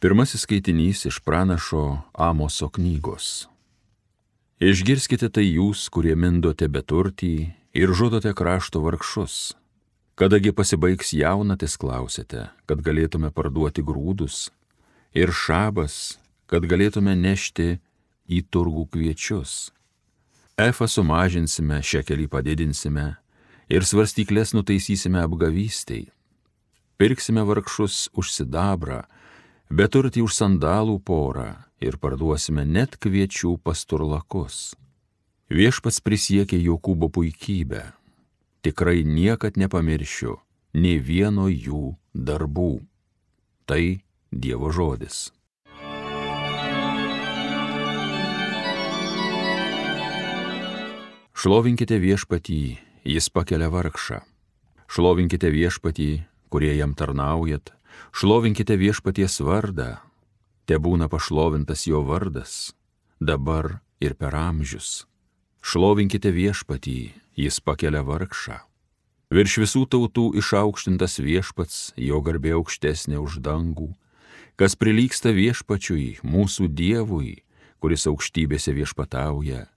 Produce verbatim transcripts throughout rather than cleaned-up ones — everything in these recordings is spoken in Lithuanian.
Pirmasis skaitinys iš pranašo Amoso knygos. Išgirskite tai jūs, kurie mindote beturtį ir žudote krašto vargšus. Kadagi pasibaigs jaunatis, klausite, kad galėtume parduoti grūdus, ir šabas, kad galėtume nešti į turgų kviečius. Efą sumažinsime, šekelį padidinsime ir svarstyklės nutaisysime apgavystiai. Pirksime vargšus už sidabrą, beturtį už sandalų porą ir parduosime net kviečių pasturlakus. Viešpats prisiekė Jokūbo puikybę. Tikrai niekad nepamiršiu nė vieno jų darbų. Tai Dievo žodis. Šlovinkite viešpatį, jis pakelia vargšą. Šlovinkite viešpatį, kurie jam tarnaujat. Šlovinkite viešpaties vardą. Tebūna pašlovintas jo vardas, dabar ir per amžius. Šlovinkite viešpatį, jis pakelia vargšą. Virš visų tautų išaukštintas viešpats, jo garbė aukštesnė už dangų. Kas prilygsta viešpačiui, mūsų Dievui, kuris aukštybėse viešpatauja,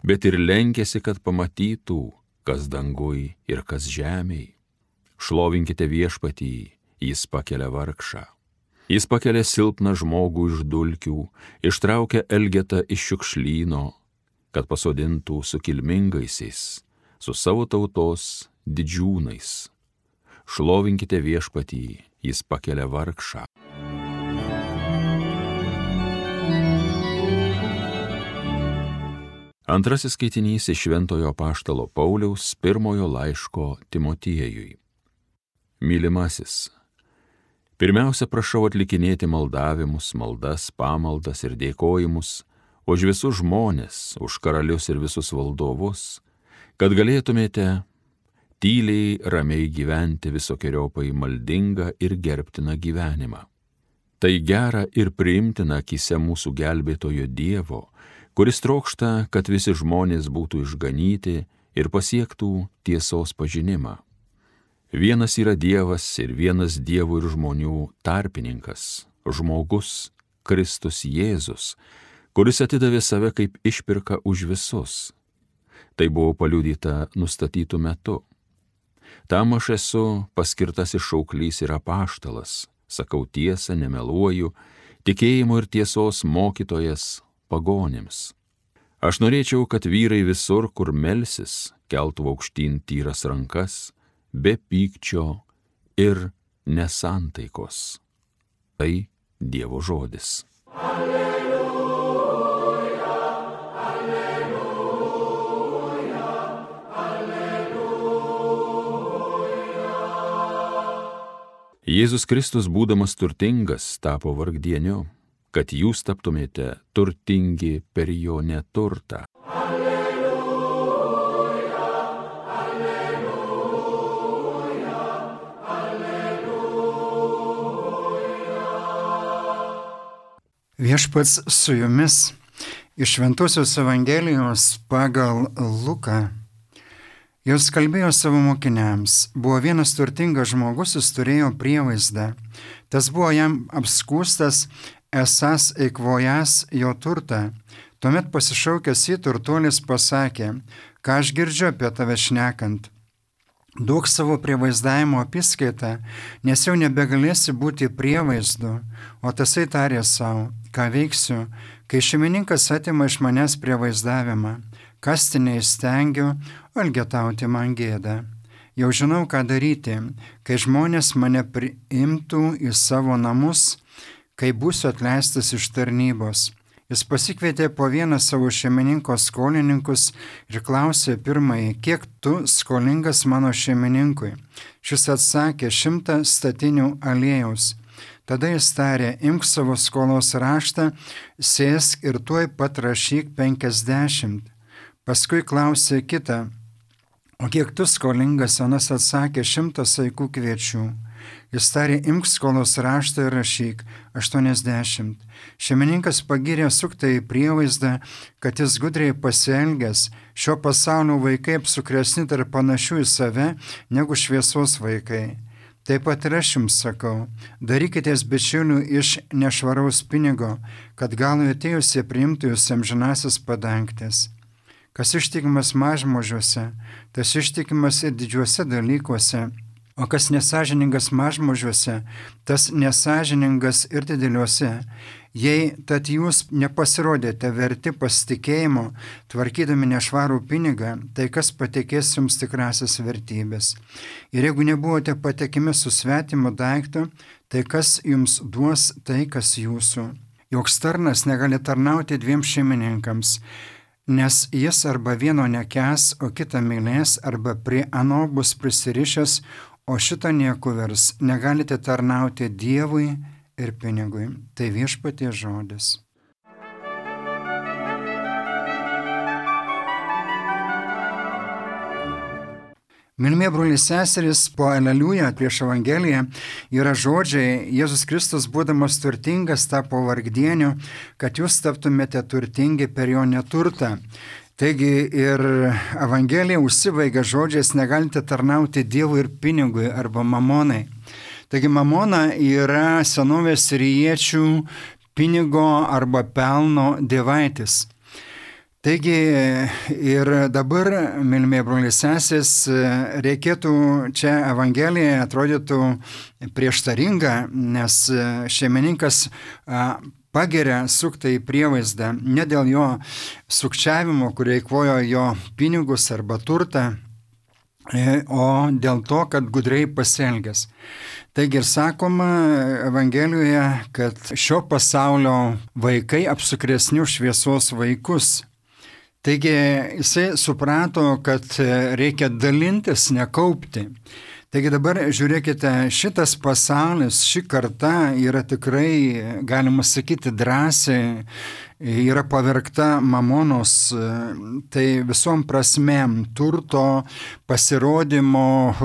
bet ir lenkėsi, kad pamatytų, kas dangui ir kas žemėj. Šlovinkite viešpatį, jis pakelia vargšą. Jis pakelia silpną žmogų iš dulkių, ištraukia elgetą iš šiukšlyno, kad pasodintų su kilmingaisiais, su savo tautos didžiūnais. Šlovinkite viešpatį, jis pakelia vargšą. Antrasis skaitinys iš Šventojo apaštalo Pauliaus pirmojo laiško Timotiejui. Mylimasis, pirmiausia prašau atlikinėti maldavimus, maldas, pamaldas ir dėkojimus už visus žmones, už karalius ir visus valdovus, kad galėtumėte tyliai, ramiai gyventi visokiojopai maldingą ir gerbtiną gyvenimą. Tai gera ir priimtina akyse mūsų gelbėtojo Dievo, kuris trokšta, kad visi žmonės būtų išganyti ir pasiektų tiesos pažinimą. Vienas yra Dievas ir vienas Dievo ir žmonių tarpininkas, žmogus Kristus Jėzus, kuris atidavė save kaip išpirka už visus. Tai buvo paliudyta nustatytų metu. Tam aš esu paskirtasis šauklys ir apaštalas, sakau tiesą, nemeluoju, tikėjimo ir tiesos mokytojas pagonims. Aš norėčiau, kad vyrai visur, kur melsis, keltų aukštyn tyras rankas, be pykčio ir nesantaikos. Tai Dievo žodis. Alleluja, alleluja, alleluja. Jėzus Kristus, būdamas turtingas, tapo vargdieniu, kad jūs taptumėte turtingi per jo neturtą. Viešpats su jumis iš Šventosios Evangelijos pagal Luką. Jis kalbėjo savo mokiniams. Buvo vienas turtingas žmogus, jis turėjo prievaizdą. Tas buvo jam apskūstas, esąs eikvojas jo turtą. Tuomet pasišaukęs jį turtuolis pasakė, ką aš girdžiu apie tave šnekant. Duok savo prievaizdavimo apiskaitą, nes jau nebegalėsi būti prievaizdu, o tasai tarė savo, ką veiksiu, kai šeimininkas atima iš manęs prievaizdavimą, kasti neįstengiu, o elgetauti man gėda. Jau žinau, ką daryti, kai žmonės mane priimtų į savo namus, kai būsiu atleistas iš tarnybos. Jis pasikvietė po vieną savo šeimininko skolininkus ir klausė pirmąjį, kiek tu skolingas mano šeimininkui. Šis atsakė, šimtą statinių aliejaus. Tada jis tarė, imk savo skolos raštą, sėsk ir tuoj pat rašyk penkiasdešimt. Paskui klausė kitą, o kiek tu skolingas, anas atsakė, šimtą saikų kviečių. Jis tarė, imk skolos raštą ir rašyk aštuoniasdešimt. Šeimininkas pagyrė suktąjį prievaizdą, kad jis gudriai pasielgęs, šio pasaulio vaikai apsukresni tarp panašių į save negu šviesos vaikai. Taip pat ir aš jums sakau, darykitės bičiulių iš nešvaraus pinigo, kad galui atėjusie priimtų jūs amžinasis padangtės. Kas ištikimas mažmožiuose, tas ištikimas ir didžiuose dalykuose, o kas nesažiningas mažmožiuose, tas nesažiningas ir dideliuose. Jei tad jūs nepasirodėte verti pasitikėjimo, tvarkydami nešvarų pinigą, tai kas patikės jums tikrasis vertybės. Ir jeigu nebuvote patikimi su svetimu daiktu, tai kas jums duos tai, kas jūsų. Joks tarnas negali tarnauti dviem šeimininkams, nes jis arba vieno nekęs, o kitą mylės, arba prie ano bus prisirišęs, o šito niekuvers. Negalite tarnauti Dievui ir pinigui. Tai viešpaties žodis. Mylimi broliai seserys, po aleliuja prieš Evangeliją yra žodžiai: Jėzus Kristus, būdamas turtingas, tapo vargdieniu, kad jūs taptumėte turtingi per jo neturtą. Taigi ir Evangelija užsibaigia žodžiais: negalite tarnauti Dievui ir pinigui arba mamonai. Taigi mamona yra senovės siriečių pinigo arba pelno dievaitis. Taigi ir dabar, mylimi broliai seserys, reikėtų čia Evangelija atrodytų prieštaringa, nes šeimininkas pageria suktąjį prievaizdą ne dėl jo sukčiavimo, kurie eikvojo jo pinigus arba turtą, o dėl to, kad gudriai pasielgęs. Taigi ir sakoma Evangelijoje, kad šio pasaulio vaikai apsukresni už šviesos vaikus. Taigi jisai suprato, kad reikia dalintis, nekaupti. Taigi dabar žiūrėkite, šitas pasaulis, ši karta yra tikrai, galima sakyti, drąsiai, yra pavergta mamonos, tai visom prasmėm, turto, pasirodymo,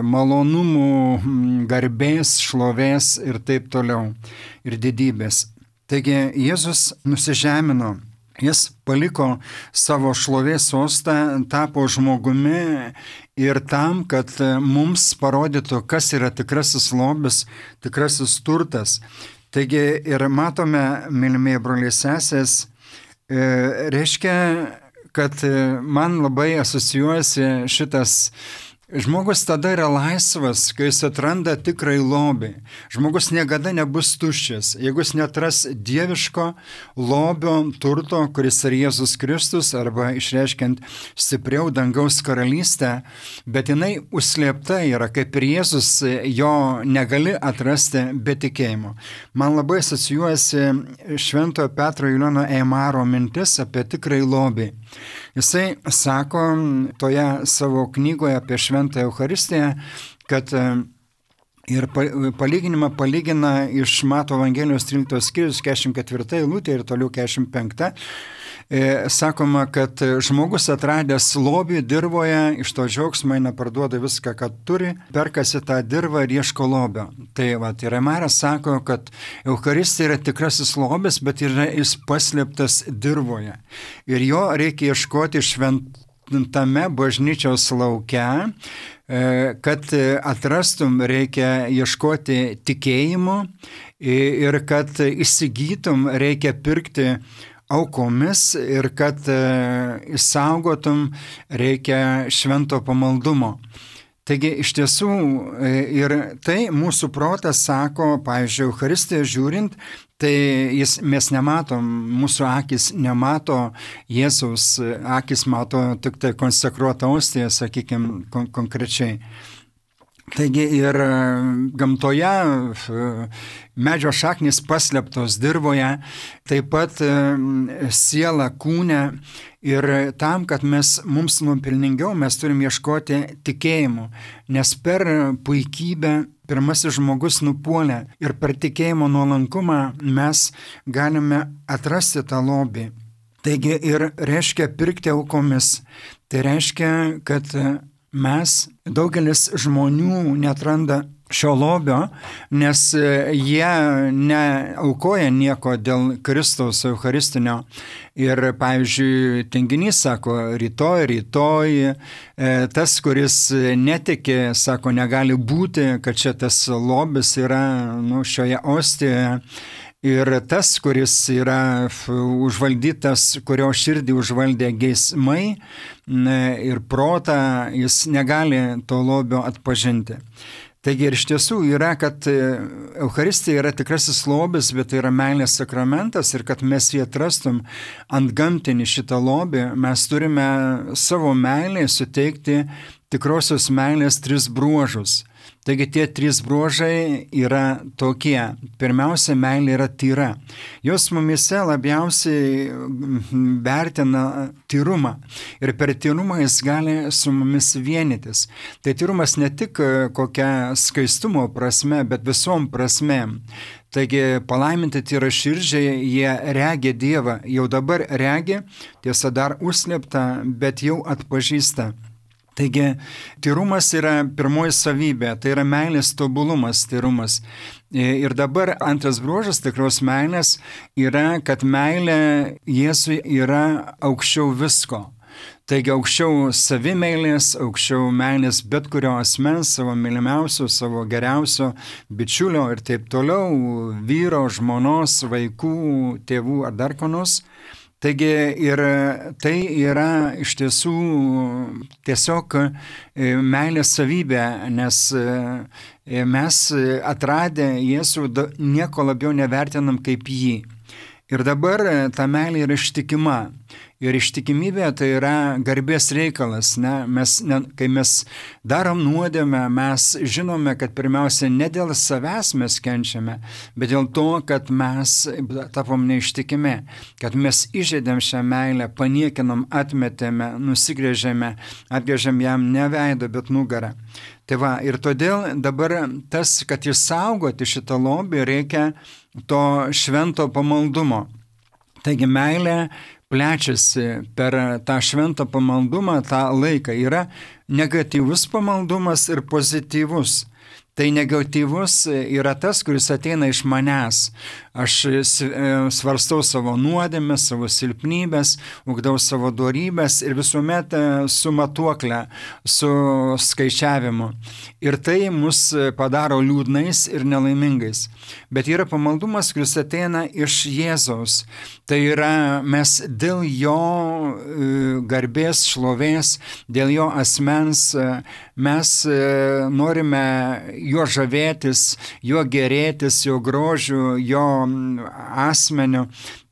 malonumų, garbės, šlovės ir taip toliau, ir didybės. Taigi Jėzus nusižemino. Jis paliko savo šlovės sostą, tapo žmogumi ir tam, kad mums parodytų, kas yra tikrasis lobis, tikrasis turtas. Taigi ir matome, mylimieji broliai seserys, reiškia, kad man labai asocijuojasi šitas. Žmogus tada yra laisvas, kai jis atranda tikrai lobį. Žmogus niekada nebus tuščias, jeigu jis netras dieviško lobio turto, kuris yra Jėzus Kristus, arba išreiškiant stipriau dangaus karalystę, bet jinai užslėpta yra, kaip ir Jėzus, jo negali atrasti be tikėjimo. Man labai asocijuojasi Šventojo Petro Julijono Eimaro mintis apie tikrai lobį. Jisai sako toje savo knygoje apie Šventąją Eucharistiją, kad ir palyginimą palygina iš Mato Evangelijos tryliktos skyrius keturiasdešimt ketvirta eilutė ir toliau keturiasdešimt penkta. Sakoma, kad žmogus atradęs lobį dirvoje, iš to džiaugsmo eina, parduoda viską, ką turi, perkasi tą dirvą ir ieško lobio. Tai va, ir Eimaras sako, kad Eucharistija yra tikrasis lobis, bet yra jis paslėptas dirvoje. Ir jo reikia ieškoti šventame bažnyčios lauke, kad atrastum, reikia ieškoti tikėjimo ir kad įsigytum, reikia pirkti aukomis ir kad išsaugotum, reikia švento pamaldumo. Taigi iš tiesų ir tai mūsų protas sako, pavyzdžiui, Eucharistiją žiūrint, tai jis, mes nematom, mūsų akis nemato Jėzaus, akis mato tik tai konsekruotą ostiją, sakykime, kon- konkrečiai. Taigi ir gamtoje medžio šaknys paslėptos dirvoje, taip pat siela kūne, ir tam, kad mes, mums nuopelningiau, mes turim ieškoti tikėjimo, nes per puikybę pirmasis žmogus nupuolė ir per tikėjimo nuolankumą mes galime atrasti tą lobį. Taigi ir reiškia pirkti aukomis, tai reiškia, kad mes, daugelis žmonių netranda šio lobio, nes jie neaukoja nieko dėl Kristaus Eucharistinio. Ir, pavyzdžiui, tinginys sako, rytoj, rytoj, tas, kuris netiki, sako, negali būti, kad čia tas lobis yra nu, šioje ostijoje. Ir tas, kuris yra užvaldytas, kurio širdį užvaldė geismai ir protą, jis negali to lobio atpažinti. Taigi ir iš tiesų yra, kad Eucharistija yra tikrasis lobis, bet tai yra meilės sakramentas ir kad mes jį atrastum ant gamtinį šitą lobį, mes turime savo meilėje suteikti tikrosios meilės tris bruožus. Taigi tie trys bruožai yra tokie. Pirmiausia, meilė yra tyra. Jos mumise labiausiai vertina tyrumą. Ir per tyrumą jis gali su mumis vienytis. Tai tyrumas ne tik kokia skaistumo prasme, bet visom prasmėm. Taigi palaiminti tyraširdžiai, jie regi Dievą. Jau dabar regi, tiesa dar užslėpta, bet jau atpažįsta. Taigi, tyrumas yra pirmoji savybė, tai yra meilės tobulumas, tyrumas. Ir dabar antras bruožas tikros meilės yra, kad meilė Jėzui yra aukščiau visko. Taigi aukščiau savimeilės, aukščiau meilės bet kurio asmens, savo mylimiausio, savo geriausio bičiulio ir taip toliau, vyro, žmonos, vaikų, tėvų ar dar ko nors. Taigi ir tai yra iš tiesų tiesiog meilės savybė, nes mes atradę Jėzų nieko labiau nevertinam kaip jį. Ir dabar ta meilė yra ištikima. Ir ištikimybė tai yra garbės reikalas. Ne? Mes, ne, kai mes darom nuodėmę, mes žinome, kad pirmiausia ne dėl savęs mes kenčiame, bet dėl to, kad mes tapom neištikimi, kad mes įžeidėm šią meilę, paniekinom, atmetėme, nusigrėžėme, atgrėžėm jam ne veidą, bet nugarą. Tai va, ir todėl dabar tas, kad išsaugoti šitą lobį, reikia to švento pamaldumo. Taigi meilė plečiasi per tą šventą pamaldumą, tą laiką. Yra negatyvus pamaldumas ir pozityvus. Tai negatyvus yra tas, kuris ateina iš manęs. Aš svarstau savo nuodėmes, savo silpnybės, ugdau savo dorybės ir visuomet su matuokle, su skaičiavimu. Ir tai mus padaro liūdnais ir nelaimingais. Bet yra pamaldumas, kuris ateina iš Jėzaus. Tai yra mes dėl jo garbės, šlovės, dėl jo asmens, mes norime jo žavėtis, jo gerėtis, jo grožiu, jo asmeniu.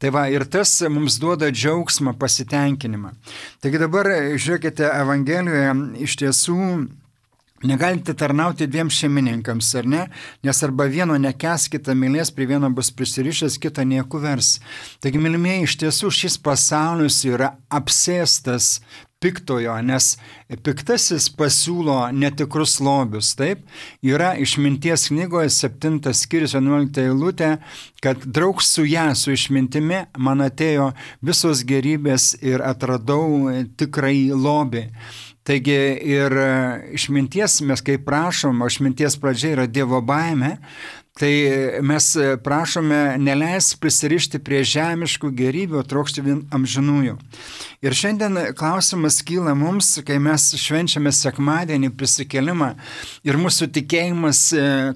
Tai va, ir tas mums duoda džiaugsmą, pasitenkinimą. Taigi dabar, žiūrėkite, Evangelijoje iš tiesų negalite tarnauti dviem šeimininkams, ar ne? Nes arba vieno nekęs, kitą mylės, prie vieno bus prisirišęs, kitą nieku vers. Taigi, mylimieji, iš tiesų šis pasaulis yra apsėstas piktojo, nes piktasis pasiūlo netikrus lobius, taip? Yra išminties knygoje septintas skyrius vienuolikta eilutė, kad draug su ją, su išmintimi, man atėjo visos gerybės ir atradau tikrai lobį. Taigi ir išminties mes kaip prašom, o išminties pradžia yra Dievo baimė, tai mes prašome neleis prisirišti prie žemiškų gerybių, trokšti vien amžinųjų. Ir šiandien klausimas kyla mums, kai mes švenčiame sekmadienį prisikėlimą ir mūsų tikėjimas,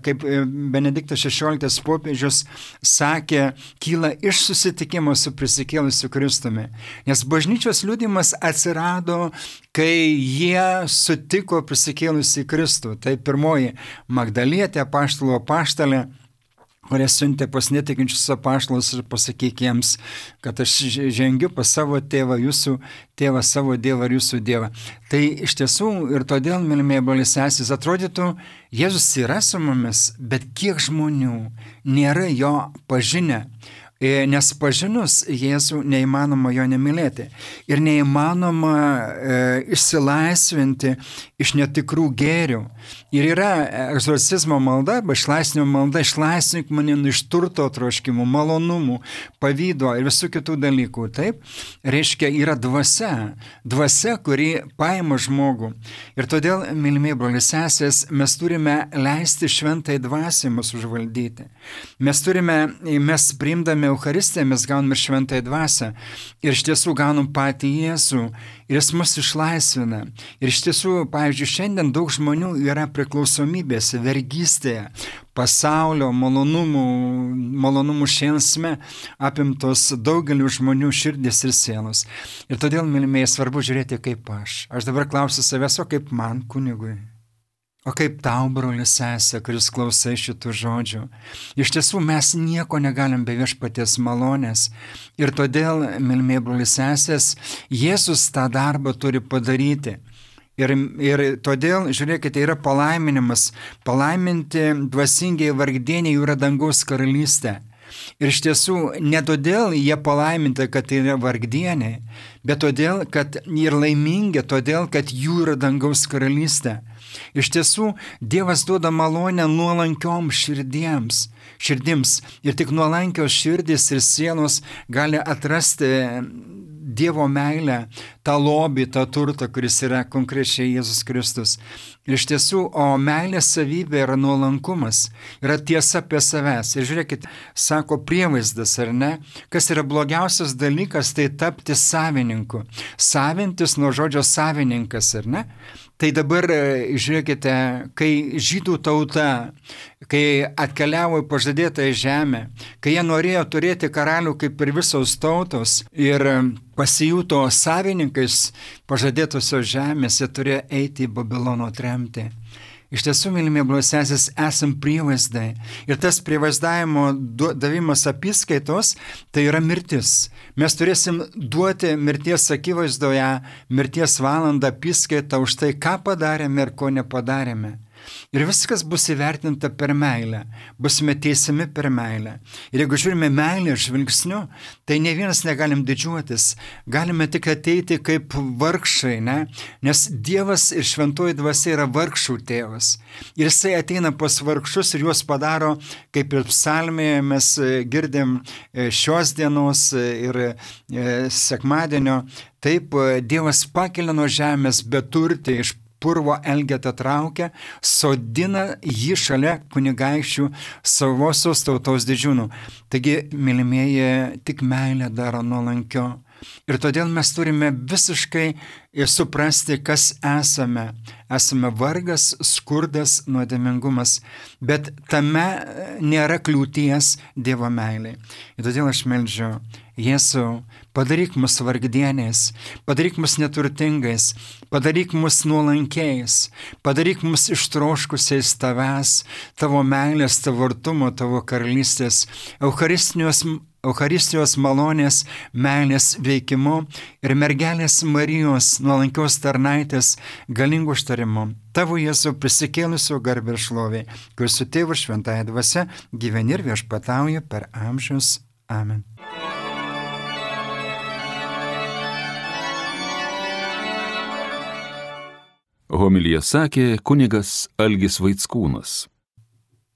kaip Benediktas šešioliktas popiežius sakė, kyla iš susitikimo su prisikėlusiu Kristumi. Nes bažnyčios liudijimas atsirado, kai jie sutiko prisikėlusį Kristų. Tai pirmoji Magdalietė, apaštalo apaštalė, kurie siuntė pas netikinčius apaštalus ir pasakyk jiems, kad aš žengiu pas savo tėvą, jūsų tėvą, savo dievą ir jūsų dievą. Tai iš tiesų ir todėl, mylimieji broliai seserys, atrodytų, Jėzus yra su mumis, bet kiek žmonių nėra jo pažinę. Nes pažinus Jėzų neįmanoma jo nemylėti. Ir neįmanoma e, išsilaisvinti iš netikrų gėrių. Ir yra egzorcizmo malda, arba išlaisvinimo malda, išlaisvink mane iš turto troškimų, malonumų, pavydo ir visų kitų dalykų. Taip, reiškia, yra dvasia, dvasia, kuri paima žmogų. Ir todėl, mylimieji broliai sesės, mes turime leisti šventai dvasiai mus užvaldyti. Mes turime, mes priimdami Eucharistiją, mes gauname šventai dvasią. Ir iš tiesų gaunam patį Jėzų. Ir jis mus išlaisvina. Ir iš tiesų, pavyzdžiui, šiandien daug žmonių yra priklausomybėse, vergystėje, pasaulio malonumų, malonumų šėlsme apimtos daugelių žmonių širdis ir sielos. Ir todėl, mylimieji, svarbu žiūrėti kaip aš. Aš dabar klausiu savęs, o kaip man, kunigui? O kaip tau, broli sesė, kuris klausai šitų žodžių? Iš tiesų mes nieko negalim be viešpaties malonės. Ir todėl, mylimieji broli sesės, Jėzus tą darbą turi padaryti. Ir, ir todėl, žiūrėkite, yra palaiminimas. Palaiminti dvasingiai vargdieniai jų yra dangaus karalystė. Ir iš tiesų, ne todėl jie palaiminti, kad tai yra vargdieniai, bet todėl, kad jie yra laimingi, todėl, kad jų yra dangaus karalystė. Iš tiesų, Dievas duoda malonę nuolankioms širdiems, širdims. Ir tik nuolankios širdis ir sielos gali atrasti Dievo meilę, tą lobį, tą turtą, kuris yra konkrečiai Jėzus Kristus. Ir iš tiesų, o meilės savybė yra nuolankumas, yra tiesa apie savęs. Ir žiūrėkit, sako prievaizdas, ar ne? Kas yra blogiausias dalykas, tai tapti savininku. Savintis nuo žodžio savininkas, ar ne? Tai dabar, žiūrėkite, kai žydų tauta, kai atkeliavo į pažadėtąją žemę, kai jie norėjo turėti karalių kaip ir visos tautos ir pasijuto savininkais pažadėtosios žemės, jie turėjo eiti į Babilono tremtį. Iš tiesų, mylimieji broliai sesės, esam prievaizdai. Ir tas prievaizdavimo davimas apiskaitos, tai yra mirtis. Mes turėsim duoti mirties akivaizdoje, mirties valandą apiskaitą už tai, ką padarėme ir ko nepadarėme. Ir viskas bus įvertinta per meilę, busime teisiami per meilę. Ir jeigu žiūrime meilę žvilgsniu, tai ne vienas negalim didžiuotis, galime tik ateiti kaip vargšai, ne? Nes Dievas ir šventoji dvasia yra vargšų tėvas. Ir jisai ateina pas vargšus ir juos padaro, kaip ir psalmėje mes girdim šios dienos ir sekmadienio, taip Dievas pakelia nuo žemės beturtį iš purvo elgetą traukia, sodina jį šalia kunigaikščių savosios tautos didžiūnų. Taigi, mylimieji, tik meilė daro nuolankio. Ir todėl mes turime visiškai suprasti, kas esame. Esame vargas, skurdas, nuodėmingumas, bet tame nėra kliūties Dievo meilei. Ir todėl aš meldžiu, Jėzau, padaryk mus vargdieniais, padaryk mus neturtingais, padaryk mus nuolankiais, padaryk mus ištroškusiais tavęs, tavo meilės, tavo artumo, tavo karalystės, Eucharistijos, Eucharistijos malonės, meilės veikimu ir mergelės Marijos nuolankios tarnaitės galingų užtarimu. Tavo Jėzau prisikėlusio garbę ir šlovė, kuris su tėvu šventąja dvasia gyveni ir viešpatauja per amžius. Amen. Homiliją sakė kunigas Algis Vaickūnas.